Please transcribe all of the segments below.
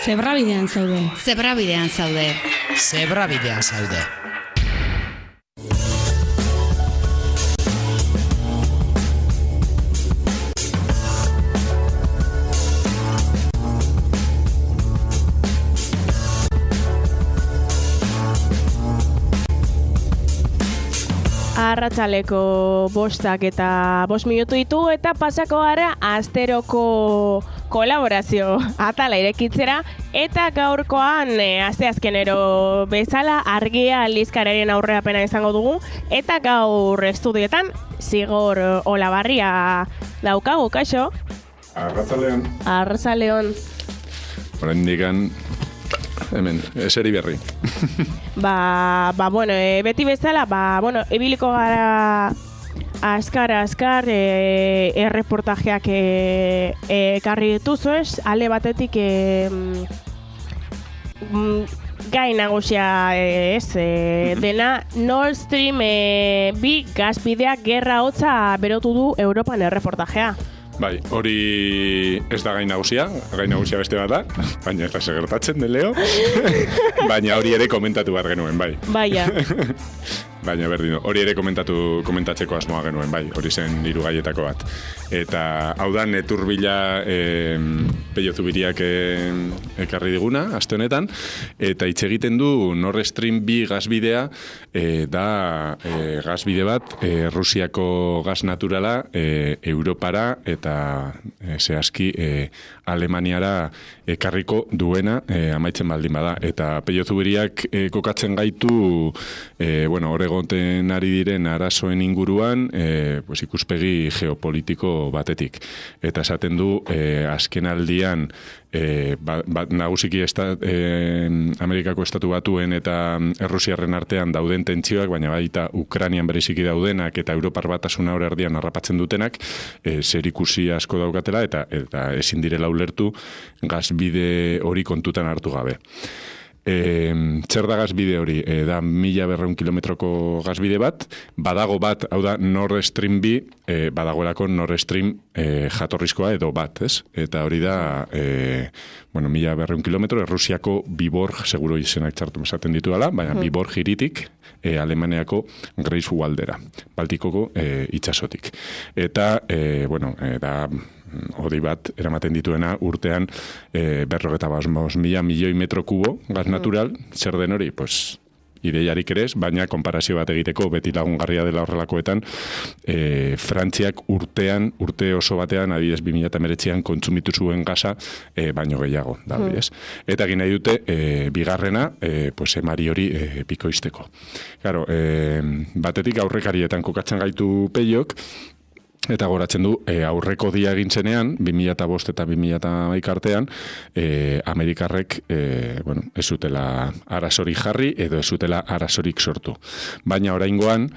Zebrabidean zaude. Zebrabidean zaude. Zebrabidean zaude. Arratsaleko 5 eta 5 minutu ditu eta pasako gara asteroko kolaborazio atala irekitzera eta gaurkoan asteazkenero bezala Argia aldizkariaren aurrerapena izango dugu eta gaur estudioetan Zigor Olabarria daukagu, kaixo? Arratsaleon. Arratsaleon. Oraindikan hemen, eseri berri. Bueno, beti bezala, ibiliko gara azkar erreportajeak ekarri dituzu ez, alde batetik gai nagusia dena Nord Stream 2 gasbideak gerra hotza berotu du Europan erreportajea. Bai, hori ez da gai nagusia beste bat da, baina ez da gertatzen de Leo, baina hori ere komentatu behar genuen, bai. Baina. Baina berdin, hori ere komentatzeko asmoa genuen, bai, hori zen 3 gaietako bat. Eta hau da, neturbila Pello Zubiriak ekarri diguna, aste honetan, eta hitz egiten du Nord Stream 2 gasbidea, da gasbide bat, Rusiako gas naturala, Europara eta zehazki Alemaniara ekarriko duena amaitzen baldin bada. Eta Pello Zubiriak kokatzen gaitu, hor egoten ari diren arazoen inguruan, ikuspegi geopolitiko batetik. Eta esaten du, azken aldian, nagusiki Amerikako estatu batuen eta Errusiarren artean dauden tentsioak, baina baita Ukrainian bereziki daudenak eta Europar batasuna hor erdian harrapatzen dutenak, zerikusi asko daukatela eta ezin direla ulertu gasbide hori kontutan hartu gabe. Zer da gasbide hori? Da 1200 kilometroko gasbide bat, badago bat, hau da Nord Stream 2, badagoelako Nord Stream jatorrizkoa edo bat, ez? Eta hori da, 1200 kilometro, Errusiako Viborg, seguro izenak txartu esaten ditu dela, baina Viborg hiritik, Alemaniako Greifswaldera, Baltikoko itsasotik. Eta, da hori bat eramaten dituena urtean 55.000 milioi metro kubo gas natural, zer den hori? Pues ideiarik ere ez, baina konparazio bat egiteko beti lagungarria dela horrelakoetan, Frantziak urte oso batean, adibidez 2019an kontsumitu zuen gasa baino gehiago, da hori ez. Eta egin nahi dute, bigarrena, emari hori bikoizteko. Claro, batetik aurrekarietan kokatzen gaitu Pellok, eta goratzen du, aurreko dia egin zenean, 2005 eta 2011 artean, Amerikarrek, ez zutela arazorik jarri, edo ez zutela arazorik sortu. Baina oraingoan,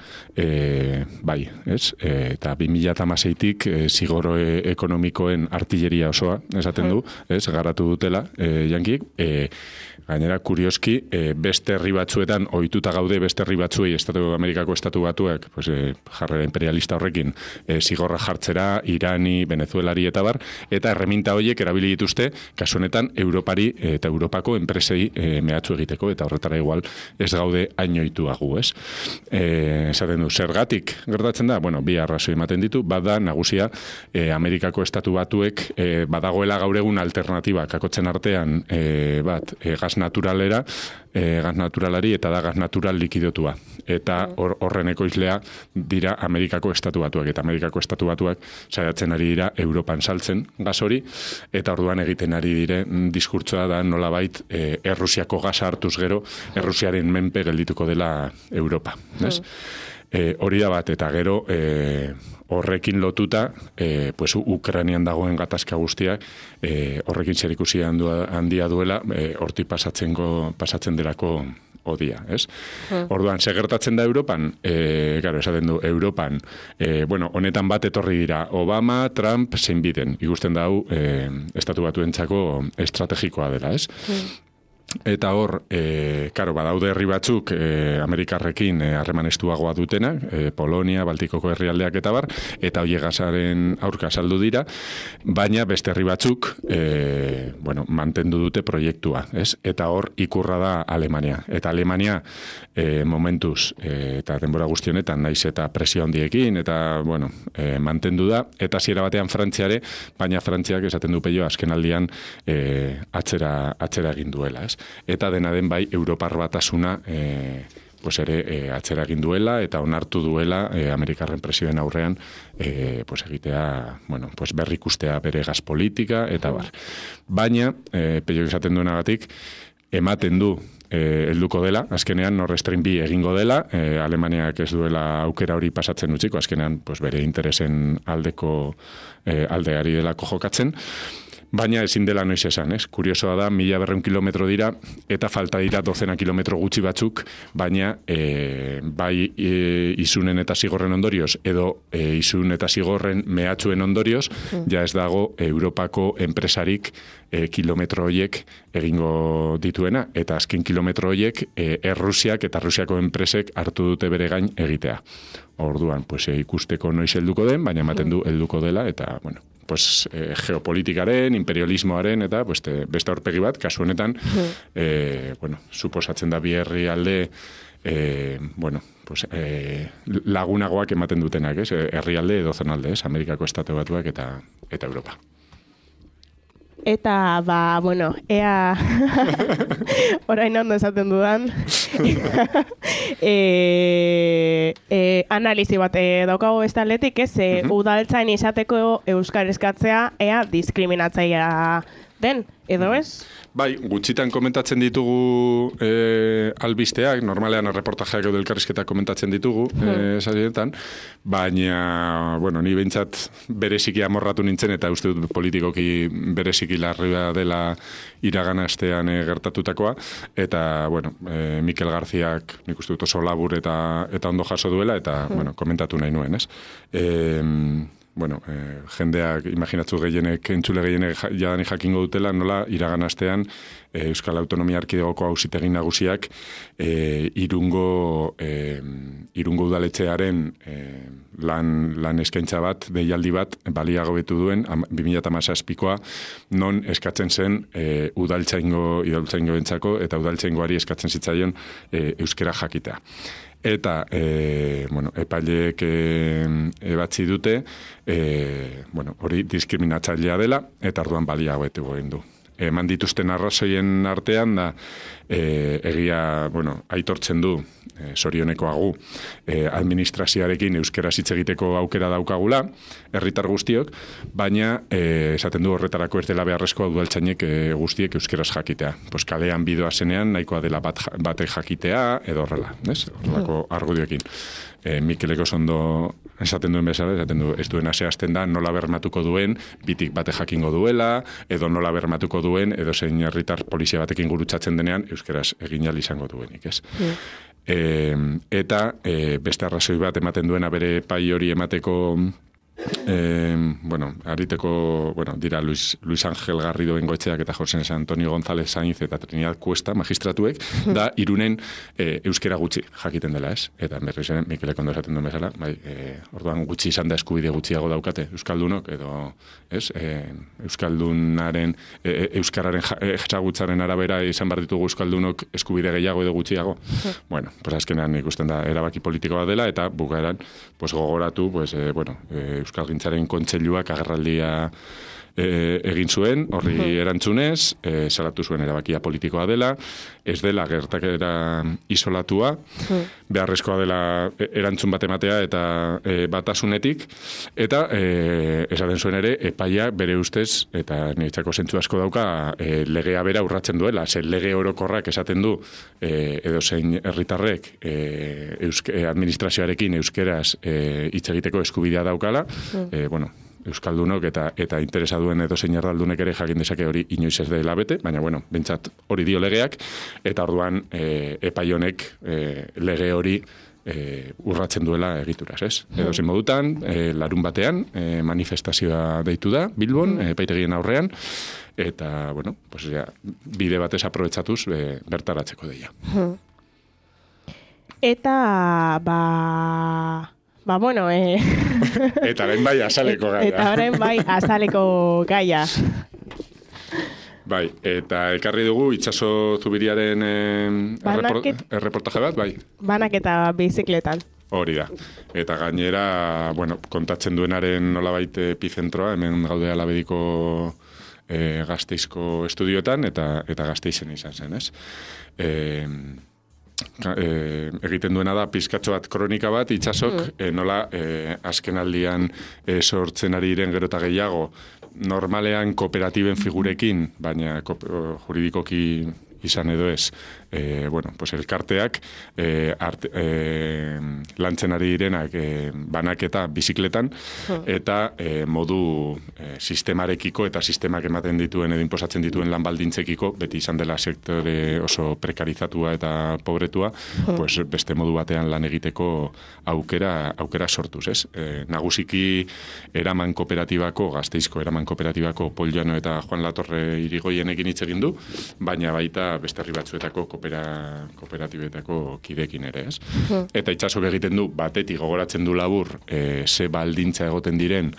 bai, ez? Eta 2016tik zigoro ekonomikoen artilleria osoa, esaten du, ez? Garatu dutela, jankik, gainera, kurioski, beste herri batzuetan, ohituta gaude beste herri batzuei, Amerikako estatu batuak, jarrera imperialista horrekin, zigorra jartzera, Irani, Venezuelari eta bar, eta erreminta horiek erabili dituzte, kasu honetan, Europari eta Europako enpresei mehatxu egiteko, eta horretara igual ez gaude hainoituagu, ez? Esaten du, zergatik gertatzen da? Bi arrazoi ematen ditu, bada nagusia Amerikako estatu batuek badagoela gaur egun alternatiba, kakotzen artean bat, gas naturalera, gas naturalari eta da gas natural likidotua. Eta horren ekoizlea dira Amerikako estatu batuak. Eta Amerikako estatu batuak saiatzen ari dira Europan saltzen gas hori, eta orduan egiten ari dire diskurtsoa da nolabait Errusiako gasa hartuz gero, Errusiaren menpe geldituko dela Europa. Hori da bat, eta gero horrekin lotuta, Ukrainian dagoen gatazka guztiak, horrekin zerikusi handia duela, hortik pasatzen delako odia, ez? Orduan, gertatzen da Europan? Esaten du, Europan, honetan bat etorri dira, Obama, Trump, zein biden, ikusten dau, estatu batuentzako estrategikoa dela, ez? Eta hor, karo, badaude herri batzuk Amerikarrekin harreman estuagoa dutenak, Polonia, Baltikoko herrialdeak eta bar, eta hoi gasaren aurka saldu dira, baina beste herri batzuk, mantendu dute proiektua, ez? Eta hor, ikurra da Alemania. Eta Alemania, momentuz, eta denbora guztionetan, naiz eta presio handiekin, eta, mantendu da, eta hasiera batean Frantziare, baina Frantziak esaten du peio azken aldian atzera egin duela, ez? Eta dena den bai Europar Batasuna atzera egin duela eta onartu duela Amerikarren presioen aurrean egitea, berrikustea bere gas politika eta bar. Baina, peio esaten duenagatik, ematen du helduko dela, azkenean Nord Stream 2 egingo dela, Alemaniak ez duela aukera hori pasatzen utziko, azkenean bere interesen aldeari delako jokatzen, baina ezin dela noiz esan, ez? Kuriosoa da, 1200 kilometro dira, eta falta dira 12 kilometro gutxi batzuk, baina bai izunen eta zigorren ondorioz, edo izun eta zigorren mehatxuen ondorioz, ja ez dago Europako enpresarik kilometro horiek egingo dituena, eta azken kilometro horiek Errusiak eta Rusiako enpresek hartu dute bere gain egitea. Orduan, ikusteko noiz helduko den, baina ematen du helduko dela, eta, geopolitikaren, imperialismoaren, eta beste aurpegi bat, kasu honetan, suposatzen da bi herrialde, lagunagoak ematen dutenak, ez? Herrialde edo zonalde, ez? Amerikako Estatu Batuak eta Europa. Eta, ea orain ondo esaten dudan analizi bat daukago beste aldetik, ez? Udaltzain izateko euskara eskatzea ea diskriminatzailea den, edo ez? Bai, gutxitan komentatzen ditugu albisteak, normalean reportajeak edo elkarrizketak komentatzen ditugu, esazietan, baina, ni behintzat bereziki amorratu nintzen, eta uste dut politikoki bereziki larria dela iragan astean gertatutakoa, eta, Mikel Garziak nik uste dut oso labur eta ondo jaso duela, eta, komentatu nahi nuen, ez? Jendeak, imaginatzu entzule gehienek jadani jakingo dutela, nola iragan astean Euskal Autonomia Erkidegoko Auzitegi Nagusiak Irungo udaletxearen lan eskaintza bat, deialdi bat, baliagobetu duen, 2017koa, non eskatzen zen udaltzaingo entzako, eta udaltzaingoari eskatzen zitzaion euskera jakitea. Eta, epaileek ebatzi dute, hori diskriminatzailea dela, eta orduan baliagoetu egin du. Eman dituzten arrazoien artean da, egia, aitortzen du, sorionekoagu, administrazioarekin euskaraz hitz egiteko aukera daukagula, herritar guztiok, baina esaten du horretarako ez dela beharrezkoa udaltzainek guztiek euskaraz jakitea. Kalean bidoa zenean, nahikoa dela batek jakitea, edo horrela, horrelako argudioekin. Mikeleko ondo esaten duen bezala, esaten du, ez duena zehazten da, nola bermatuko duen, bitik bate jakingo duela, edo nola bermatuko duen, edo zein herritar polizia batekin gurutzatzen denean, euskaraz egin ahal izango duenik, ez? Eta beste arrazoi bat ematen duena bere pai hori emateko dira Luis Ángel Garrido Bengoetxeak eta José Antonio González Sainz eta Trinidad Cuesta magistratuek, da Irunen euskera gutxi jakiten dela, ez? Eta berriz ere, Mikelek ondo esaten duen bezala, orduan gutxi izan da eskubide gutxiago daukate euskaldunok, edo, ez? Euskaldunaren, euskararen jagutzaren arabera izan behar ditugu euskaldunok eskubide gehiago edo gutxiago. Azkenean ikusten da erabaki politiko bat dela, eta bukaeran gogoratu, Euskalgintzaren kontseiluak agerraldia egin zuen, horri erantzunez, salatu zuen erabakia politikoa dela, ez dela gertakera isolatua, beharrezkoa dela erantzun bat ematea eta batasunetik, eta esaten zuen ere, epaia bere ustez, eta niretzako zentzu asko dauka, legea bera urratzen duela, lege orokorrak esaten du, edo zein herritarrek administrazioarekin euskeraz hitz egiteko eskubidea daukala, euskaldunok eta interesa duen edo zein erdaldunek ere jakin dezake hori inoiz ez dela bete, baina bentsat hori dio legeak, eta orduan epai honek lege hori urratzen duela egituraz, ez? Edo zein modutan, larun batean manifestazioa deitu da, Bilbon, epaitegien aurrean, eta, bueno, pues ja, bide batez aprobetxatuz bertaratzeko deia. Eta, bueno, Eta orain bai azaleko gaia. Eta orain bai azaleko gaia. Bai, eta ekarri dugu itsaso zubiriaren erreportaje bat, bai. Banaketa bizikletan. Hori da. Eta gainera, bueno, kontatzen duenaren nolabait epizentroa, hemen gaude Alabediko Gasteizko estudioetan, eta Gasteizen izan zen, ez? Egiten duena da pizkatxo bat kronika bat itsasok nola azkenaldian sortzen ari diren gero eta gehiago normalean kooperatiben figurekin, baina juridikoki izan edo ez, bueno, pues elkarteak lantzen ari direnak banaketa bizikletan eta modu sistemarekiko eta sistemak ematen dituen edo inposatzen dituen lan baldintzekiko, beti izan dela sektore oso prekarizatua eta pobretua, pues beste modu batean lan egiteko aukera sortuz, ez? Nagusiki eraman kooperatibako, Gasteizko eraman kooperatibako Poljano eta Juan Latorre Irigoienekin hitz egin du, baina baita beste herri batzuetako kooperatibetako kidekin ere, ez? Eta itsasok egiten du, batetik gogoratzen du labur, ze baldintza egoten diren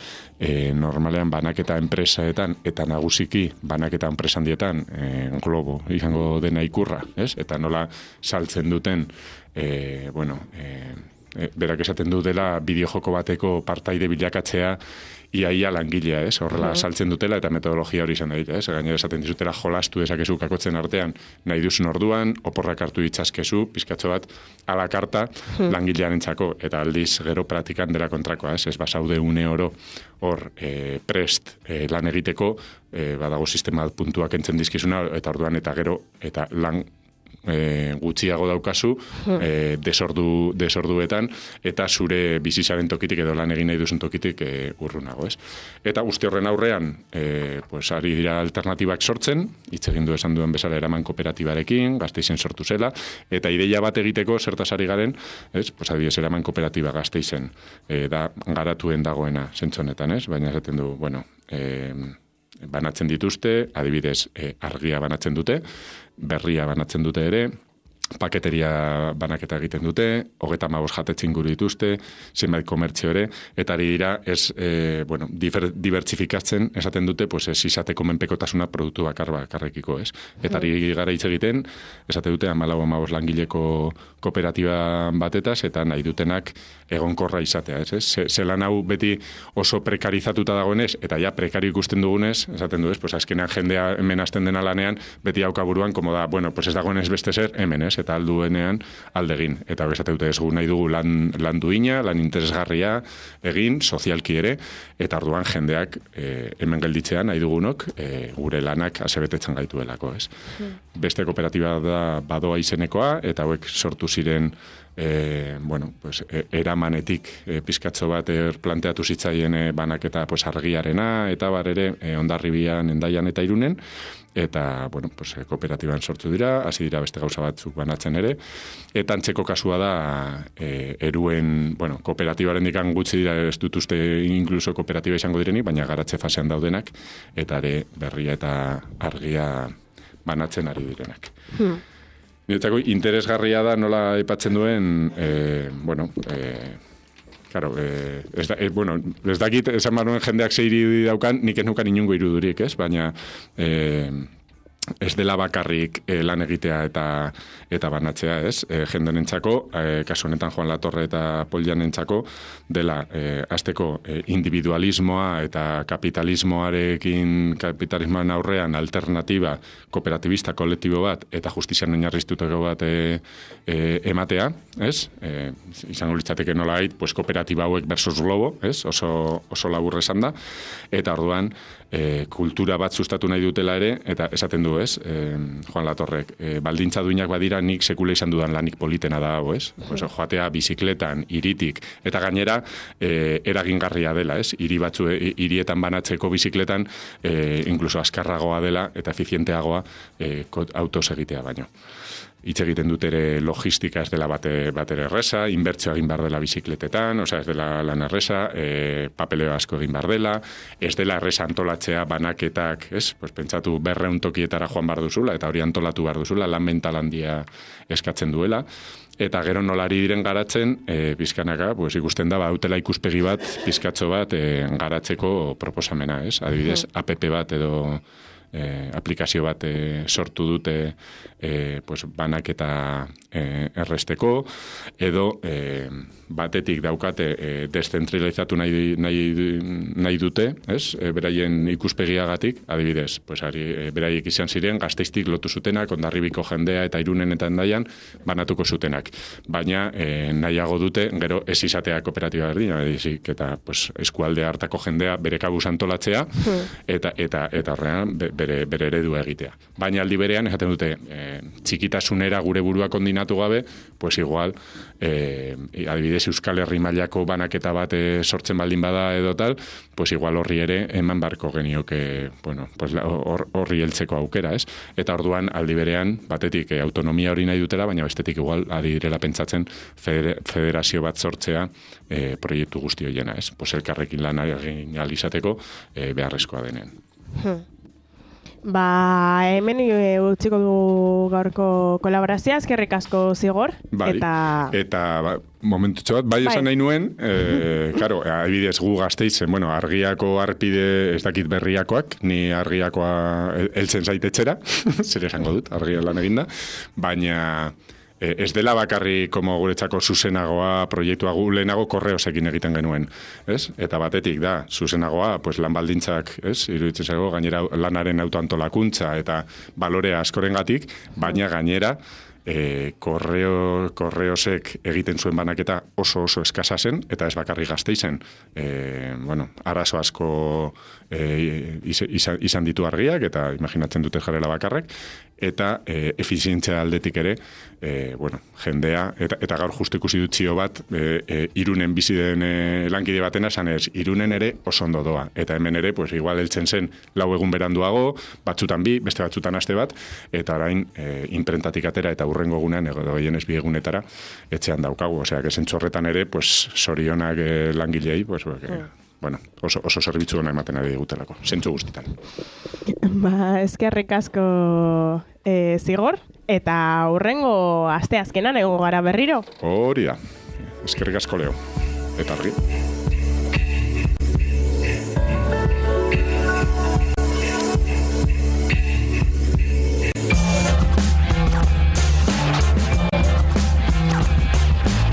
normalean banaketa enpresaetan, eta nagusiki banaketa enpresandietan globo izango dena ikurra, ez? Eta nola saltzen duten, berak esaten du dela bideojoko bateko partaide bilakatzea iaia langilea, ez? Horrela saltzen dutela eta metodologia hori izan da, ez? Gainera esaten dizutela jolastu dezakezu kakotzen artean nahi duzun orduan, oporrak hartu ditzazkezu, pizkatxo bat ala karta langilearentzako eta aldiz gero praktikan dela kontrakoa, ez? Ez basaude une oro hor prest lan egiteko, badago sistema puntuak entzen dizkizuna eta orduan eta gero eta lan gutxiago daukazu desorduetan eta zure bizizaren tokitik edo lan egin nahi duzun tokitik urrunago, ez? Eta guzti horren aurrean pues ari dira alternatibak sortzen, hitz egin du esan duen bezala eraman kooperatibarekin, Gasteizen sortu zela, eta ideia bat egiteko zertaz ari garen, ez? Pues adibidez eraman kooperatiba Gasteizen da garatuen dagoena zentzonetan, ez? Baina esaten du, bueno, banatzen dituzte, adibidez argia banatzen dute, berria banatzen dute ere, paketeria banaketa egiten dute, 35 jatetxe inguru dituzte, zenbait komertzio ere, eta ari dira dibertsifikatzen esaten dute, pues ez izateko menpekotasuna produktu bakarrekiko, ez? Eta ari gara hitz egiten, esate dute 14-15 langileko kooperatiba batetaz, eta nahi dutenak egonkorra izatea, ez? Zelan hau beti oso prekarizatuta dagoenez, eta ja prekario ikusten dugunez, esaten du, ez? Pues azkenean jendea hemen hasten dena lanean, beti haukaburuan, komo da, bueno, pues ez dagoenez beste zer, hemen, ez? Eta alduenean aldegin. Eta esate dute ez nahi dugu lan duina, lan interesgarria egin, sozialki ere, eta orduan jendeak hemen gelditzean nahi dugunok gure lanak asebetetzen gaituelako, ez? Beste kooperatiba da badoa izenekoa, eta hauek sortu ziren eramanetik pizkatxo bat planteatu zitzaien banaketa argiarena, eta bar ere Hondarribian, Hendaian eta Irunen, eta, kooperatiban sortu dira, hasi dira beste gauza batzuk banatzen ere, eta antzeko kasua da, eruen, kooperatibaren dikan gutxi dira, ez dutuzte inkluso kooperatiba izango direnik, baina garatze fasean daudenak, eta ere berria eta argia banatzen ari direnak. Niretzako interesgarria da nola aipatzen duen, ez dakit esan baruen jendeak ze irudi daukan, nik ez nukan inungo irudurik, ez? Baina ez dela bakarrik lan egitea eta banatzea, ez? Jendenentzako, kasu honetan Juan Latorre eta Poljanentzako, dela hasteko individualismoa eta kapitalismoaren aurrean alternatiba kooperatibista kolektibo bat eta justizian oinarriztutako bat ematea, ez? Izango litzateke nolabait, pues kooperatiba hauek versus globo, ez? Oso labur esan da, eta orduan kultura bat sustatu nahi dutela ere, eta esaten du, ez? Juan Latorrek, baldintza duinak badira nik sekula izan dudan lanik politena da hau, ez? Joatea bizikletan, hiritik, eta gainera eragingarria dela, ez? Hirietan banatzeko bizikletan inkluso azkarragoa dela eta efizienteagoa autoz egitea baino. hitz egiten dut ere logistika ez dela batere erresa, inbertsio egin behar dela bizikletetan, ez dela lan erresa, papeleo asko egin behar dela, ez dela erresa antolatzea banaketak, pues pentsatu 200 tokietara joan behar duzula, eta hori antolatu behar duzula, lan mental handia eskatzen duela. Eta gero nolari diren garatzen, pizkanaka, pues ikusten da, utela ikuspegi bat, pizkatxo bat, garatzeko proposamena, Adibidez, app bat edo aplikazio bat sortu dute pues banaketa erresteko, edo batetik daukate deszentralizatu nahi dute, beraien ikuspegiagatik, adibidez, pues beraiek izan ziren, Gasteiztik lotu zutenak, Hondarribiko jendea eta Irunen eta Hendaian banatuko zutenak. Baina nahiago dute, gero ez izatea kooperatiba berdina, eta pues, eskualde hartako jendea bere kabuz antolatzea, eta horrean bere eredua egitea. Baina aldi berean, esaten dute, txikitasunera gure buruak kondinatu gabe, pues igual, adibidez Euskal Herri mailako banaketa bat sortzen baldin bada edo tal, pues igual horri ere eman barko genioke, bueno, pues horri heltzeko aukera, Eta orduan aldi berean, batetik autonomia hori nahi dutela, baina bestetik igual adirela pentsatzen federazio bat sortzea proiektu guzti horiena, Pues elkarrekin lan egin ahal izateko beharrezkoa denen. Hemen utziko du gaurko kolaborazioa, eskerrik asko Zigor. Bai, eta momentutxo bat, bai esan nahi nuen, karo, adibidez gu Gasteizen, argiako arpide ez dakit berriakoak, ni argiakoa heltzen zaitetxera, zer esango dut, argia lan eginda, baina ez dela bakarri como guretzako zuzenagoa proiektua gu lehenago korreosekin egiten genuen, Eta batetik da, zuzenagoa, pues lan baldintzak, iruditzen zago, gainera lanaren autoantolakuntza eta balorea askorengatik, baina gainera korreosek egiten zuen banaketa oso eskasa zen, eta ez bakarri Gasteizen, arazo asko izan ditu argiak, eta imaginatzen dute jarela bakarrek, eta efizientzia aldetik ere, jendea, eta gaur justu ikusi dut zio bat, Irunen bizi den lankide batena, esanez, Irunen ere oso ondo doa, eta hemen ere, pues igual heltzen zen 4 egun beranduago, batzutan 2, beste batzutan aste bat, eta orain inprentatik atera eta hurrengo egunean, edo gehienez 2 egunetara, etxean daukagu, osea, zentzorretan ere, pues sorionak langilei, pues, oso zerbitzu ona ematen ari digutelako, zentzu guztitan. Eskerrik asko Zigor, eta hurrengo asteazkenan egongo gara berriro. Hori da, eskerrik asko Leo, eta argi.